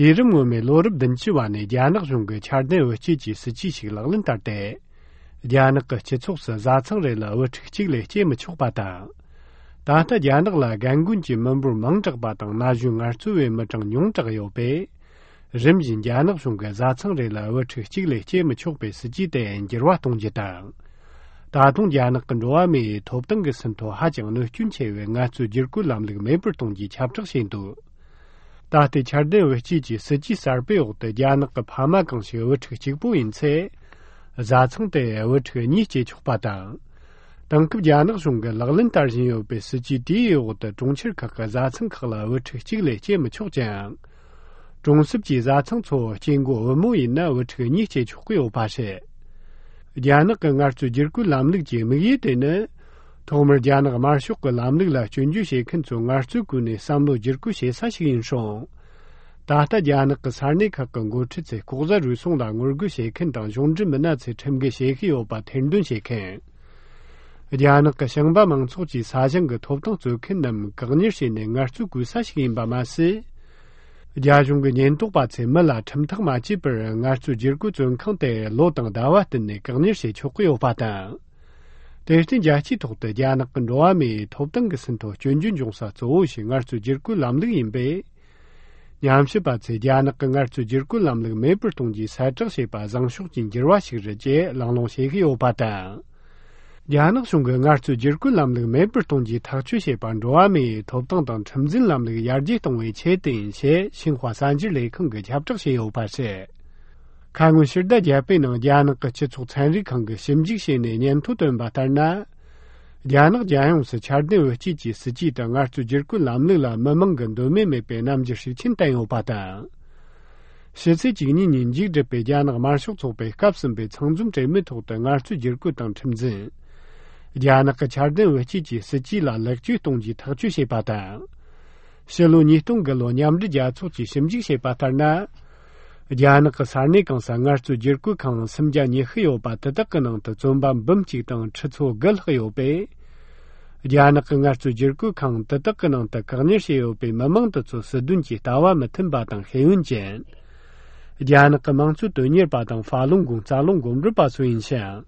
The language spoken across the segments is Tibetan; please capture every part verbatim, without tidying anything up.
དུས་རིམ་སྔོན་མའི་ལོ་རབས་བདུན་ཅུ་བ་ནས་རྒྱ་ནག་གཞུང་གིས་འཆར་ལྡན་དབུལ་སྐྱེད་ཀྱི་སྲིད་ཇུས་ཤིག་ལག་ལེན་བསྟར་ཏེ། རྒྱ་ནག་གི་སྤྱི་ཚོགས་སུ་བཟའ་ཚང་རེ་ལ་དབུལ་ཕྲུག་གཅིག་ལས་སྐྱེ་མི་ཆོག་པ་དང་། ད་ལྟ་རྒྱ་ནག་ལ་རྒན་རྒོན་གྱི་མི་འབོར་མང་དྲགས་པ་དང་ན་གཞོན་ངལ་རྩོལ་བའི་མི་གྲངས་ཉུང་དྲགས་ཡོད་པས། རིམ་བཞིན་རྒྱ་ནག་གཞུང་གིས་བཟའ་ཚང་རེ་ལ་དབུལ་ཕྲུག་གཅིག་ལས་སྐྱེ་མི་ཆོག་པའི་སྲིད་ཇུས་དེ་འགྱུར་བ་གཏོང་རྒྱུ་དང་། ད་དུང་རྒྱ་ནག་གི་འགྲོ་བ་མིའི་ཐོབ་ཐང་གི་ཟིན་ཐོ་ཧ་ཅང་གནོད་སྐྱོན་ཆེ་བའི་ངལ་རྩོལ་བསྒྱུར་བཀོད་ལམ་ལུགས་མེད་པར་གཏོང་རྒྱུའི་ཁྱབ་བསྒྲགས་བྱས་འདུག་ད་ལྟའི་འཆར་ལྡན་དབུལ་སྐྱེད་ཀྱི་སྲིད་ཇུས་གསར་པའི་འོག་ཏུ། རྒྱ་ནག་གི་ཕ་མ་གང་ཞིག་དབུལ་ཕྲུག་གཅིག་པོ་ཡིན་ཚེ། བཟའ་ཚང་དེ་དབུལ་ཕྲུག་གཉིས་སྐྱེ་ཆོག་པ་དང་། དེང་སྐབས་རྒྱ་ནག་གཞུང་གིས་ལག་ལེན་བསྟར་བཞིན་ཡོད་པའི་སྲིད་ཇུས་དེའི་འོག་ཏུ། གྲོང་ཁྱེར་ཁག་གི་བཟའ་ཚང་ཁག་ལ་དབུལ་ཕྲུག་གཅིག་ལས་སྐྱེ་མི་ཆོག་ཅིང་། གྲོང་གསེབ་ཀྱི་བཟའ་ཚང་ཚོ་སྐྱེ་འགོ་བུ་མོ་ཡིན་ན་དབུལ་ཕྲུག་གཉིས་སྐྱེ་ཆོག་གི་ཡོད་པ་རེད། རྒྱ་ནག་གི་ངལ་རྩོལ་བསྒྱུར་བཀོད་ལམ་ལུགས་ཀྱི་དམིགས་ཡུལ་དེ་ནི། ཐོག་མར་རྒྱ་ནག་དམར་ཤོག་གི་ལམ་ལུགས་ལ་སྐྱོན་བརྗོད་བྱེད་མཁན་ཚོའི་ངལ་རྩོལ་བཀོལ་ནས་བསམ་བློ་བསྒྱུར་བཀོད་བྱེད་ས་ཞིག་ཡིན་སོང་། ད་ལྟ་རྒྱ་ནག་གི་ས་གནས་ཁག་གི་འགོ་ཁྲིད་ཚོས་ལྐོག་ཟ་རུལ་སུངས་ལ་ངོ་རྒོལ་བྱེད་མཁན་དང་གཞུང་འབྲེལ་མི་སྣ་ཚོས་ཁྲིམས་འགལ་བྱེད་ཀྱི་ཡོད་པ་ཐེར་འདོན་བྱེད་མཁན། རྒྱ་ནག་གི་ཞིང་པ་མང་ཚོགས་ཀྱིས་ས་ཞིང་གི་ཐོབ་ཐང་རྩོད་མཁན་རྣམས་བཀག་ཉར་བྱས་ནས་ངལ་རྩོལ་བཀོལ་ས་ཞིག་ཡིན་པ་མ་ཟད། རྒྱ་གཞུང་གི་ཉེན་རྟོག་པ་ཚོས་མི་ལ་ཁྲིམས་ཐག་མ་བཅད་པར་ངལ་རྩོལ་བསྒྱུར་བཀོད་བཙོན་ཁང་དེ་ལོ་དང་ཟླ་བ་བསྟུད་ནས་བཀག་ཉར་བྱེད་ཆོག་གི་ཡོད་པ་དང་། དེར་བརྟེན་རྒྱལ་སྤྱིའི་ཐོག་ཏུ་རྒྱ་ནག་གི་འགྲོ་བ་མིའི་ཐོབ་ཐང་གི་ཟིན་ཐོ་སྐྱོན་བརྗོད་འབྱུང་ས་གཙོ་བོ་ཞིག་ངལ་རྩོལ་བསྒྱུར་བཀོད་ལམ་ལུགས་ཡིན་པས། ཉམས་ཞིབ་པ་ཚོས་རྒྱ་ནག་གི་ངལ་རྩོལ་བསྒྱུར་བཀོད་ལམ་ལུགས་མེད་པར་གཏོང་རྒྱུའི་གསལ་བསྒྲགས་བྱས་པ་བཟང་ཕྱོགས་ཀྱི་འགྱུར་བ་ཞིག་རེད་ཅེས་གླེང་སློང་བྱེད་ཀྱི་ཡོད་པ་དང་། རྒྱ་ནག་གཞུང་གིས་ངལ་རྩོལ་བསྒྱུར་བཀོད་ལམ་ལུགས་མེད་པར་གཏོང་རྒྱུའི་ཐག་གཅོད་བྱས་པ་འགྲོ་བ་མིའི་ཐོབ་ཐང་དང་ཁྲིམས་འཛིན་ལམ་ལུགས་ཡར་རྒྱས་གཏོང་བའི་ཆེད་དུ་ཡིན་ཞེས་ཤིན་ཧྭ་གསར་འགྱུར་ལས་ཁང་གིས་ཁྱབ་བསྒྲགས་བྱས་ཡོད་པ་རེད། ཁ་སྔོན་ཕྱི་ཟླ་བརྒྱད་པའི་ནང་རྒྱ་ནག་གི་སྤྱི་ཚོགས་ཚན་རིག་ཁང་གིས་ཞིབ་འཇུག་བྱས་ནས་སྙན་ཐོ་བཏོན་པ་ལྟར་ན། རྒྱ་ནག་རྒྱལ་ཡོངས་སུ་འཆར་ལྡན་དབུལ་སྐྱེད་ཀྱི་སྲིད་ཇུས་དང་ངལ་རྩོལ་བསྒྱུར་བཀོད་ལམ་ལུགས་ལ་མི་མང་གི་འདོད་མོས་མེད་པའི་རྣམ་འགྱུར་ཤུགས་ཆེན་བསྟན་ཡོད་པ་དང་། ཕྱི་ཚེས་བཅུ་གཉིས་ཉིན་མཇུག་བསྒྲིལ་བའི་རྒྱ་ནག་དམར་ཤོག་ཚོགས་པའི་སྐབས་གསུམ་པའི་ཚང་འཛོམས་གྲོས་མོལ་ཐོག་ཏུ་ངལ་རྩོལ་བསྒྱུར་བཀོད་དང་ཁྲིམས་འཛིན། རྒྱ་ནག་གི་འཆར་ལྡན་དབུལ་སྐྱེད་ཀྱི་སྲིད་ཇུས་ལ་ལེགས་བཅོས་གཏོང་རྒྱུའི་ཐག་གཅོད་བྱས་པ་དང་། ཕྱི་ལོ་ཉིས་སྟོང་དགུ་ལོ་མཉམ་འབྲེལ་རྒྱལ་ཚོགས་ཀྱིས་ཞིབ་འཇུག་བྱས་པ་ལྟར་ན། རྒྱ་ནག་གི་ས་གནས་གང་སར་ངལ་རྩོལ་བསྒྱུར་བཀོད་ཁང་སུམ་བརྒྱ་ཉི་ཤུ་ཡོད་པ་དེ་དག་གི་ནང་དུ་བཙོན་པ་འབུམ་གཅིག་དང་ཁྲི་ཚོ་དགུ་ལྷག་ཡོད་པས། རྒྱ་ནག་གི་ངལ་རྩོལ་བསྒྱུར་བཀོད་ཁང་དེ་དག་གི་ནང་དུ་བཀག་ཉར་བྱས་ཡོད་པའི་མི་མང་དེ་ཚོ་སྲིད་དོན་གྱི་ལྟ་བ་མི་མཐུན་པ་དང་ཤེས་ཡོན་ཅན། རྒྱ་ནག་གི་དམངས་གཙོ་དོན་གཉེར་པ་དང་ཧྥ་ལུང་གུང་རྩ་རླུང་འགོ་འདྲེན་པ་སོགས་ཡིན་ཞིང་།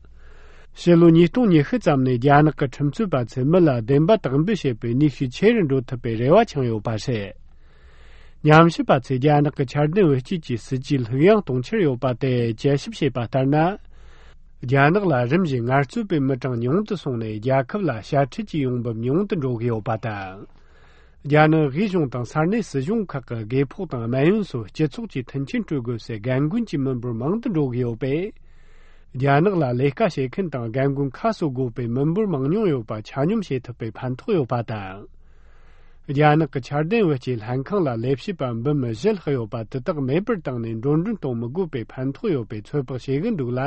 ཕྱི་ལོ་ཉིས་སྟོང་ཉི་ཤུ་ཙམ་ནས་རྒྱ་ནག་གི་ཁྲིམས་རྩོད་པ་ཚོས་མི་ལ་བདེན་པ་དག་འབུལ་བྱེད་པའི་ནུས་ཤུགས་ཆེ་རུ་འགྲོ་ཐུབ་པའི་རེ་བ་འཆང་ཡོད་པ་རེད། ཉམས་ཞིབ་པ་ཚོས་རྒྱ་ནག་གི་འཆར་ལྡན་དབུལ་སྐྱེད་ཀྱི་སྲིད་ཇུས་ལྷུག་ཡངས་གཏོང་འཆར་ཡོད་པ་དེ་དཔྱད་ཞིབ་བྱས་པ་ལྟར་ན། རྒྱ་ནག་ལ་རིམ་བཞིན་ངལ་རྩོལ་པའི་མི་གྲངས་ཉུང་དུ་སོང་ནས་རྒྱལ་ཁབ་ལ་དཔྱ་ཁྲལ་གྱི་ཡོང་འབབ་ཉུང་དུ་འགྲོ་གི་ཡོད་པ་དང་། རྒྱ་ནག་དབུས་གཞུང་དང་ས་གནས་སྲིད་གཞུང་ཁག་གི་དགོས་ཕོགས་དང་སྨན་ཡོན་སོགས་སྤྱི་ཚོགས་ཀྱི་མཐུན་རྐྱེན་སྤྲོད་དགོས་སའི་རྒན་རྒོན་གྱི་མི་འབོར་མང་དུ་འགྲོ་གི་ཡོད་པས། རྒྱ་ནག་ལ་ལས་ཀ་བྱེད་མཁན་དང་རྒན་རྒོན་ཁ་གསོ་དགོས་པའི་མི་འབོར་མང་ཉུང་ཡོད་པ་ཆ་སྙོམས་བྱེད་ཐུབ་པའི་ཕན་ཐོགས་ཡོད་པ་དང་། རྒྱ་ནག་གི་འཆར་ལྡན་དབུལ་སྐྱེད་ལྷན་ཁང་ལ་ལས་བྱེད་པ་འབུམ་བཞི་ལྷག་ཡོད་པ་དེ་དག་མེད་པར་བཏང་ནས་འགྲོ་གྲོན་གཏོང་མི་དགོས་པའི་ཕན་ཐོགས་ཡོད་པའི་ཚོད་དཔག་བྱེད་ཀྱི་འདུག་ལ།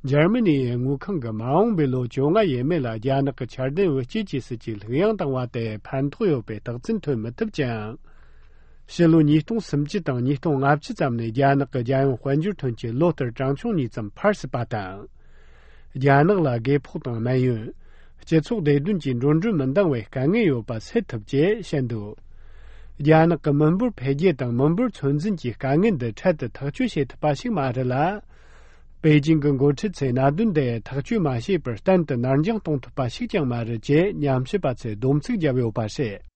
འཇར་མ་ནི་ཡི་དངུལ་ཁང་གིས་མ་འོངས་པའི་ལོ་བཅོ་ལྔ་ཡས་མས་ལ་རྒྱ་ནག་གི་འཆར་ལྡན་དབུལ་སྐྱེད་ཀྱི་སྲིད་ཇུས་ལྷུག་ཡངས་བཏང་བ་དེ་ཕན་ཐོགས་ཡོད་པའི་རྟགས་མཚན་ཐོན་མི་ཐུབ་ཅིང་། ཕྱི་ལོ་ཉིས་སྟོང་སུམ་ཅུ་དང་ཉིས་སྟོང་ལྔ་བཅུ་ཙམ་ནས་རྒྱ་ནག་གི་རྒྱལ་ཡོངས་དཔལ་འབྱོར་ཐོན་སྐྱེད་ལོ་ལྟར་གྲངས་ཆུང་གཉིས་ཙམ་འཕར་སྲིད་པ་དང་། རྒྱ་ནག་ལ་དགོས་ཕོགས་དང་སྨན་ཡོན། སྤྱི་ཚོགས་བདེ་དོན་གྱི་འགྲོ་གྲོན་མི་འདང་བའི་དཀའ་ངལ་ཡོད་པ་སེལ་ཐུབ་ཅེས་བཤད་འདུག་རྒྱ་ནག་གི་མི་འབོར་འཕེལ་རྒྱས་དང་མི་འབོར་ཚོད་འཛིན་གྱི་དཀའ་ངལ་འདི་འཕྲལ་དུ་ཐག་གཅོད་བྱེད་ཐུབ་པ་ཞིག་མ་རེད་ལ། པེ་ཅིང་གི་འགོ་ཁྲིད་ཚོས་གནད་དོན་འདི་ཐག་གཅོད་མ་བྱས་པར་གཏན་དུ་ནར་འགྱངས་གཏོང་ཐུབ་པ་ཞིག་ཀྱང་མ་རེད་ཅེས་ཉམས་ཞིབ་པ་ཚོས་སྡོམ་ཚིག་བརྒྱབ་ཡོད་པ་རེད།